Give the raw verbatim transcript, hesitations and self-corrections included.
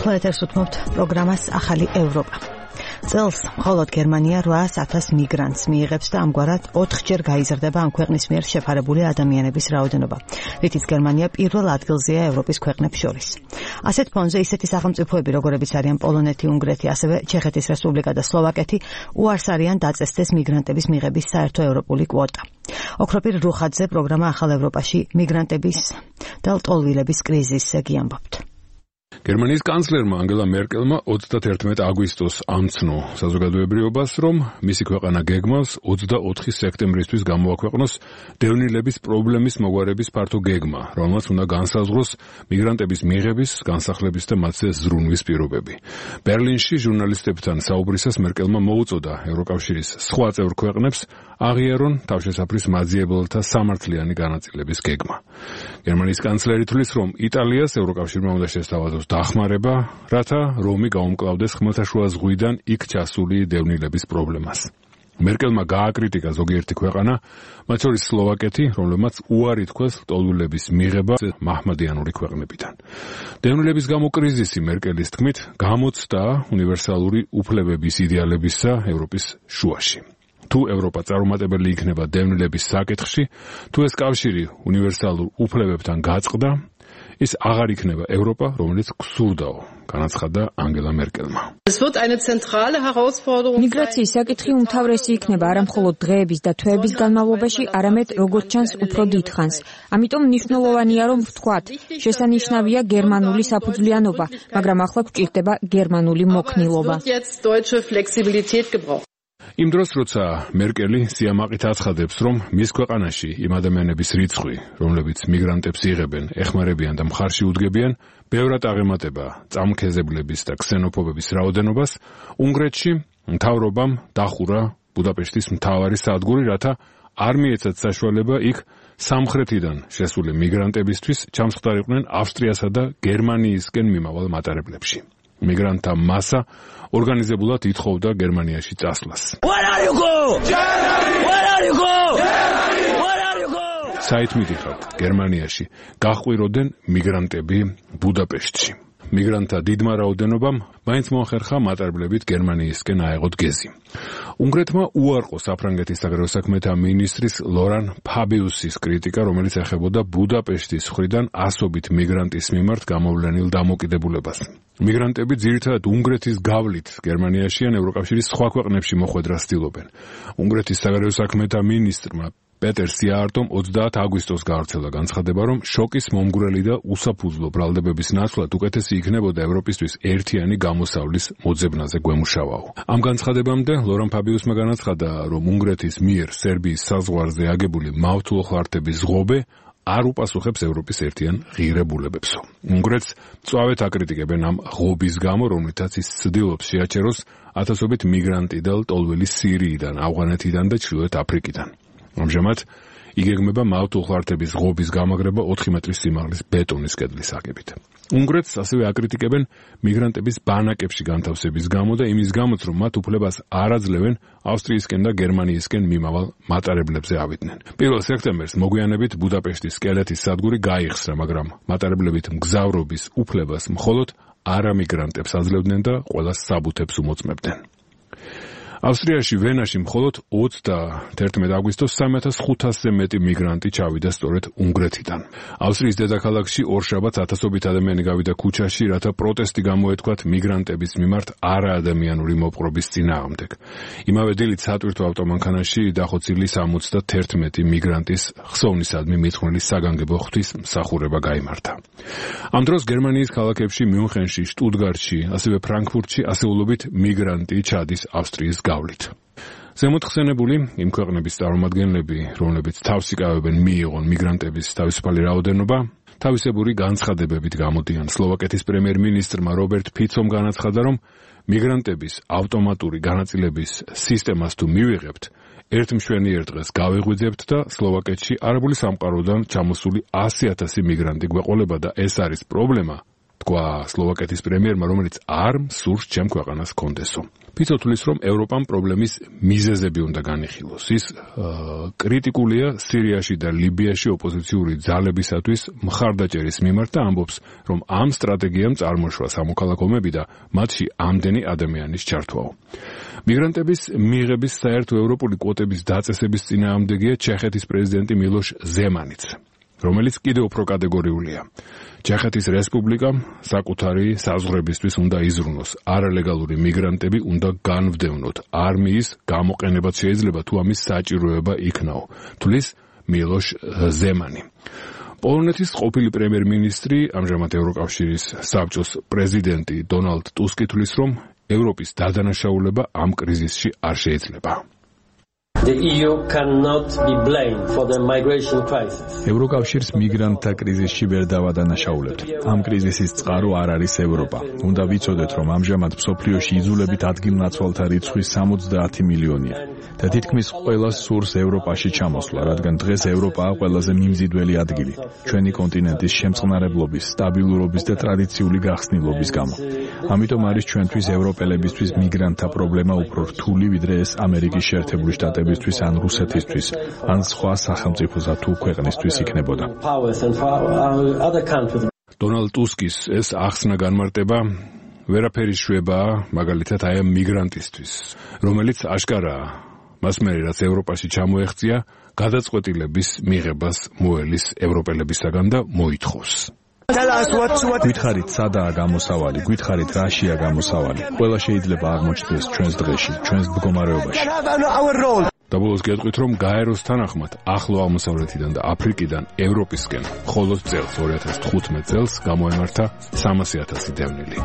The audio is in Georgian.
ახლა ეთერს უთმობთ პროგრამას ახალი ევროპა. წელს მხოლოდ გერმანია რვაას ათას მიგრანტს მიიღებს და ამგვარად ოთხჯერ გაიზრდება ამ ქვეყნის მიერ შეფარებული ადამიანების რაოდენობა, რითიც გერმანია პირველ ადგილზეა ევროპის ქვეყნებს შორის. ასეთ ფონზე ისეთი სახელმწიფოები, როგორებიც არიან პოლონეთი, უნგრეთი, ასევე ჩეხეთის რესპუბლიკა და სლოვაკეთი, უარს არიან დაწესდეს მიგრანტების მიღების საერთო ევროპული კვოტა. ოქროპირ რუხაძე პროგრამა ახალ ევროპაში მიგრანტების და ლტოლვილების კრიზისზე გიამბობთ. გერმანიის კანცლერმა ანგელა მერკელმა ოცდაათი აგვისტოს ამცნო საზოგადოებრიობას, რომ მისი ქვეყანა გეგმავს ოცდაოთხი სექტემბრისთვის გამოაქვეყნოს დევნილების პრობლემის მოგვარების ფართო გეგმა, რომელმაც უნდა განსაზღვროს მიგრანტების მიღების, განსახლების და მათზე ზრუნვის პირობები. ბერლინში ჟურნალისტებთან საუბრისას მერკელმა მოუწოდა ევროკავშირის სხვა წევრ ქვეყნებს აღიარონ თავშესაფრის მაძიებელთა სამართლიანი განაწილების გეგმა. გერმანიის კანცლერი თვლის, რომ იტალიას ევროკავშირმა უნდა შესთავაზოს დახმარება, რათა რომი გაუმკლავდეს ხმელთაშუა ზღვიდან იქ ჩასული დევნილების პრობლემას. მერკელმა გააკრიტიკა ზოგიერთი ქვეყანა, მათ შორის სლოვაკეთი, რომლებმაც უარი თქვეს ლტოლვილების მიღება მაჰმადიანური ქვეყნებიდან. დევნილების გამო კრიზისი მერკელის თქმით გამოცდა უნივერსალური უფლებების იდეალებისა ევროპის შუაში. თუ ევროპა წარუმატებელი იქნება დევნილების საკითხში, თუ ეს კავშირი უნივერსალურ უფლებებთან გაწყდა, ის აღარ იქნება ევროპა, რომელიც გსურდაო, განაცხადა ანგელა მერკელმა. მიგრაციის საკითხი უმთავრესი იქნება არა მხოლოდ დღეების და თვეების განმავლობაში, არამედ როგორც ჩანს უფრო დიდხანს. ამიტომ მნიშვნელოვანია, რომ ვთქვათ, შესანიშნავია გერმანული საფუძვლიანობა, მაგრამ ახლა გვჭირდება გერმანული მოქნილობა. იმ დროს, როცა მერკელი სიამაყით აცხადებს, რომ მის ქვეყანაში იმ ადამიანების რიცხვი, რომლებიც მიგრანტებს იღებენ, ეხმარებიან და მხარში უდგებიან, ბევრად აღემატება წამქეზებლების და ქსენოფობების რაოდენობას, უნგრეთში მთავრობამ დახურა ბუდაპეშტის მთავარი სადგური, რათა არ მიეცათ საშუალება იქ სამხრეთიდან შესული მიგრანტებისთვის ჩამსხდარიყვნენ ავსტრიასა და გერმანიისკენ მიმავალ მატარებლებში. მიგრანტთა მასა ორგანიზებულად ითხოვდა გერმანიაში წასვლას. საით მიდიხართ გერმანიაში, გაჰყვიროდნენ მიგრანტები ბუდაპეშტში. მიგრანტთა დიდმა რაოდენობამ მაინც მოახერხა მატარებლებით გერმანიისკენ აეღოთ გეზი. უნგრეთმა უარყო საფრანგეთის საგარეო საქმეთა მინისტრის ლორან ფაბიუსის კრიტიკა, რომელიც ეხებოდა ბუდაპეშტის მხრიდან ასობით მიგრანტის მიმართ გამოვლენილ დამოკიდებულებას. მიგრანტები ძირითადად უნგრეთის გავლით გერმანიაში ან ევროკავშირის სხვა ქვეყნებში მოხვედრას ცდილობენ. უნგრეთის საგარეო საქმეთა მინისტრმა პეტერ სიაარტომ ოცდაათი აგვისტოს გაავრცელა განცხადება, რომ შოკის მომგვრელი და უსაფუძვლო ბრალდებების ნაცვლად უკეთესი იქნებოდა ევროპისთვის ერთიანი გამოსავლის მოძებნაზე გვემუშავაო. ამ განცხადებამდე ლორან ფაბიუსმა განაცხადა, რომ უნგრეთის მიერ სერბიის საზღვარზე აგებული მავთულოხლართების ღობე არ უპასუხებს ევროპის ერთიან ღირებულებებსო. უნგრეთს მწვავედ აკრიტიკებენ ამ ღობის გამო, რომლითაც ის ცდილობს შეაჩეროს ათასობით მიგრანტი და ლტოლველი სირიიდან, ავღანეთიდან და ჩრდილოეთ აფრიკიდან. ამჟამად იგეგმება მავთულოხლართების ღობის გამაგრება ოთხი მეტრის სიმაღლის ბეტონის კედლის აგებით. უნგრეთს ასევე აკრიტიკებენ მიგრანტების ბანაკებში განთავსების გამო და იმის გამოც, რომ მათ უფლებას არ აძლევენ ავსტრიისკენ და გერმანიისკენ მიმავალ მატარებლებზე ავიდნენ. პირველ სექტემბერს მოგვიანებით ბუდაპეშტის სკელეთის სადგური გაიხსნა, მაგრამ მატარებლებით მგზავრობის უფლებას მხოლოდ არამიგრანტებს აძლევდნენ და ყველას საბუთებს უმოწმებდნენ. ავსტრიაში ვენაში მხოლოდ ოცდაათი აგვისტოს სამი ათას ხუთასზე მეტი მიგრანტი წავიდა სწორედ უნგრეთიდან. ავსტრიის დედაქალაქში ორშაბათს ათასობით ადამიანი გავიდა ქუჩაში, რათა პროტესტი გამოეთქვათ მიგრანტების მიმართ არაადამიანური მოპყრობის წინააღმდეგ. იმავე დილით სატვირთო ავტომანქანაში დახოცილი სამოცდაათი მიგრანტის ხსოვნისადმი მიძღვნილი საგანგებო ღვთის მსახურება გაიმართა. ამ დროს გერმანიის ქალაქებში მიუნხენში, შტუტგარტში, ასევე ფრანკფურტში ასეულობით მიგრანტი ჩადის ავსტრიის გავლით. ზემოთხსენებული იმ ქვეყნების წარმომადგენლები, რომლებიც თავს იკავებენ მიიღონ მიგრანტების თავისუფალი რაოდენობა, თავისებური განცხადებებით გამოდიან. სლოვაკეთის პრემიერ-მინისტრმა რობერტ ფიცომ განაცხადა, რომ მიგრანტების ავტომატური განაწილების სისტემას თუ მივიღებთ, ერთ მშვენიერ დღეს გავიღვიძებთ და სლოვაკეთში არაბული სამყაროდან ჩამოსული ასი ათასი მიგრანტი გვეყოლება და ეს არის პრობლემა, თქვა სლოვაკეთის პრემიერმა, რომელიც არ მსურს ჩემ ქვეყანას კონდესო. ფიცო თulis, რომ ევროპამ პრობლემის მიზეზები უნდა განიხილოს. ის კრიტიკულია სირიაში და ლიბიაში ოპოზიციური ძალებისათვის მხარდაჭერის მიმართ და ამბობს, რომ ამ სტრატეგიამ წარმოშვა სამოქალაქო ომები და მათში ამდენი ადამიანის ჩართვაო. მიგრანტების მიღების საერთო ევროპული კვოტების დაწესების წინააღმდეგია ჩეხეთის პრეზიდენტი მილოშ ზემანიც, რომელიც კიდევ უფრო კატეგორიულია. ჩეხეთის რესპუბლიკამ საკუთარი საზღვრებისთვის უნდა იზრუნოს, არალეგალური მიგრანტები უნდა განვდევნოთ, არმიის გამოყენებაც შეიძლება თუ ამის საჭიროება იქნაო, თulis მილოშ ზემანი. პოლონეთის ყოფილი პრემიერ-მინისტრი, ამჟამად ევროკავშირის საბჭოს პრეზიდენტი დონალდ ტუსკი თulis, რომ ევროპის დადანაშაულება ამ კრიზისში არ შეიძლება. The E U cannot be blamed for the migration crisis. ევროკავშირს მიგრანტთა კრიზისში ვერ დავადანაშაულებთ. ამ კრიზისის წყარო არ არის ევროპა. უნდა ვიცოდეთ, რომ ამჟამად მსოფლიოში იძულებით ადგილნაცვალთა რიცხვი სამოცდაათი მილიონია. და თითქმის ყველას სურს ევროპაში ჩამოსვლა, რადგან დღეს ევროპაა ყველაზე მიმზიდველი ადგილი, ჩვენი კონტინენტის შემწყნარებლობის, სტაბილურობის და ტრადიციული გახსნილობის გამო. ამიტომ არის ჩვენთვის ევროპელებისთვის მიგრანტთა პრობლემა უფრო რთული, ვიდრე ეს ამერიკის შეერთებული შტატებისთვის ან რუსეთისთვის, ან სხვა სახელმწიფოსა თუ ქვეყნისთვის იქნებოდა. დონალდ ტუსკის ეს ახსნა განმარტება ვერაფერი შვება, მაგალითად აი ამ მიგრანტისთვის, რომელიც აშკარაა მას მერე რაც ევროპაში ჩამოეღწია, გადაწყვეტილების მიღებას მოელის ევროპელებისაგან და მოითხოვს. გვითხარით სადაა გამოსავალი, გვითხარით რაშია გამოსავალი. ყველა შეიძლება აღმოჩნდეს ჩვენს დღეში, ჩვენს მდგომარეობაში. და ბოლოს გეტყვით, რომ გაეროს თანახმად ახლო აღმოსავლეთიდან და აფრიკიდან ევროპისკენ მხოლოდ წელს ორი ათას თხუთმეტ წელს გამოემართა სამასი ათასი დევნილი.